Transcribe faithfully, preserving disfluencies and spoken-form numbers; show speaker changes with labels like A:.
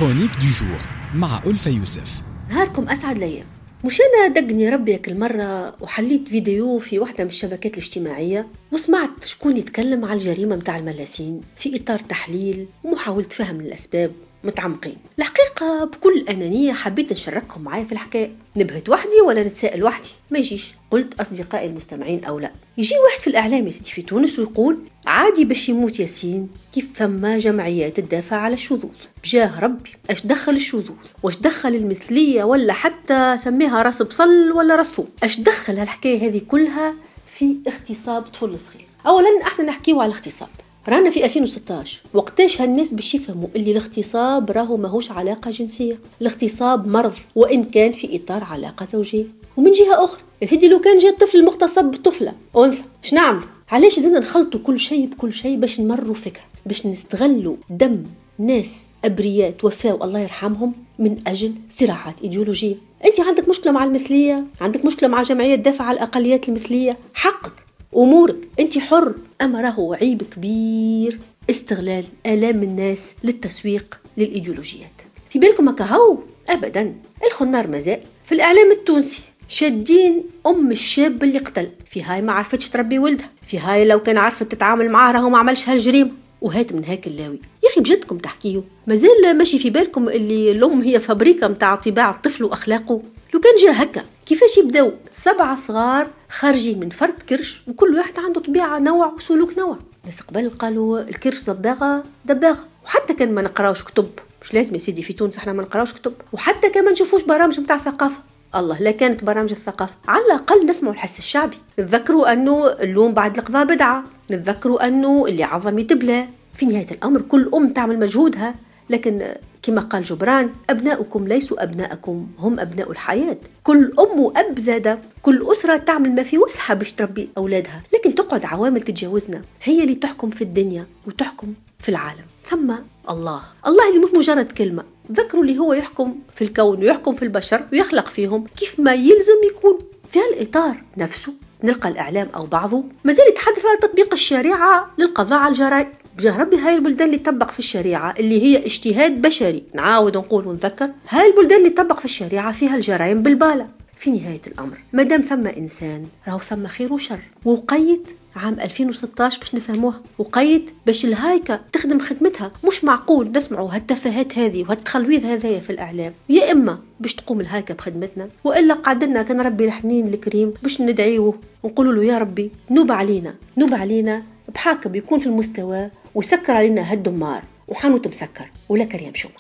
A: Chronique du jour مع ألفة يوسف.
B: نهاركم أسعد ليا. مش أنا دقني ربي كل مرة وحليت فيديو في واحدة من الشبكات الاجتماعية وسمعت شكون يتكلم على الجريمة متاع الملاسين في إطار تحليل ومحاولة فهم الأسباب متعمقين. الحقيقة بكل أنانية حبيت نشارككم معايا في الحكاية. نبهت وحدي ولا نتساءل وحدي؟ ما يجيش. قلت أصدقائي المستمعين أو لا. يجي واحد في الإعلام يا سيدي في تونس ويقول عادي باش يموت ياسين كيف فما جمعيات تدافع على الشذوذ. بجاه ربي اش دخل الشذوذ؟ واش دخل المثلية ولا حتى سميها راس بصل ولا راس ثوم؟ اش دخل هالحكاية هذه كلها في اغتصاب طفل صغير؟ أولا احنا نحكيو على الاغتصاب، رانا في ألفين وستاش. وقتاش هالناس باش يفهموا اللي الاغتصاب راهو ماهوش علاقة جنسية، الاغتصاب مرض وإن كان في إطار علاقة زوجية. ومن جهة أخرى يا سيدي لو كان جاء الطفل المغتصب بطفلة أنثى اش نعمل؟ علاش زلنا نخلطوا كل شيء بكل شيء باش نمروا فكرة، باش نستغلوا دم ناس أبرياء توفاوا الله يرحمهم من أجل صراعات إيديولوجية؟ أنت عندك مشكلة مع المثلية، عندك مشكلة مع جمعية تدافع على الأقليات المثلية، حقك أمورك أنت حر، أما راهو عيب كبير استغلال آلام الناس للتسويق للإيديولوجيات. في بالكم هكا هو؟ أبدا. الخنار مازال في الإعلام التونسي شادين أم الشاب اللي قتل، في هاي ما عرفتش تربي ولدها، في هاي لو كان عرفت تتعامل معاه راهو ما عملش هالجريمة، وهات من هاك اللاوي. يا أخي بجدكم تحكيو؟ مازال ماشي في بالكم اللي الأم هي فابريكا متاع طباع الطفل وأخلاقه؟ لو كان جا هكا كيفاش يبداو سبعة صغار خارجين من فرد كرش وكل واحد عنده طبيعة نوع وسلوك نوع؟ ناس قبل قالوا الكرش صباغة دباغة. وحتى كان ما نقراوش كتب، مش لازم يا سيدي في تونس احنا ما نقراوش كتب، وحتى كان ما نشوفوش برامج متاع ثقافة، الله لا كانت برامج الثقافة، على الأقل نسمعوا الحس الشعبي، نتذكروا أنه اللوم بعد القضاء بدعة، نتذكروا أنه اللي عظم يتبلى. في نهاية الأمر كل أم تعمل مجهودها، لكن كما قال جبران أبناؤكم ليسوا أبناءكم، هم أبناء الحياة. كل أم وأب زادة، كل أسرة تعمل ما في وسعها باش تربي أولادها، لكن تقعد عوامل تتجاوزنا هي اللي تحكم في الدنيا وتحكم في العالم. ثم الله، الله اللي مش مجرد كلمة، ذكروا اللي هو يحكم في الكون ويحكم في البشر ويخلق فيهم كيف ما يلزم يكون. في هالإطار نفسه نلقى الإعلام أو بعضه مازال يتحدث على تطبيق الشريعة للقضاء على الجرائم. بجاه ربي هاي البلدان اللي تطبق في الشريعة اللي هي اجتهاد بشري، نعاود نقول ونذكر، هاي البلدان اللي تطبق في الشريعة فيها الجرائم بالبالة. في نهاية الأمر مادام ثم إنسان راهو ثم خير وشر. وقيت عام ألفين وستاش باش نفهموها، وقيت باش الهايكة تخدم خدمتها. مش معقول نسمعوا هالتفاهات هذه وهالتخلويض هذايا في الإعلام. يا إما باش تقوم الهايكة بخدمتنا، وإلا قعدنا كان ربي الحنين الكريم باش ندعيوه ونقولوا له يا ربي نوب علينا، نوب علينا بحاكم يكون في المستوى ويسكر علينا هالدمار وحانوت مسكر ولا كريم شومة.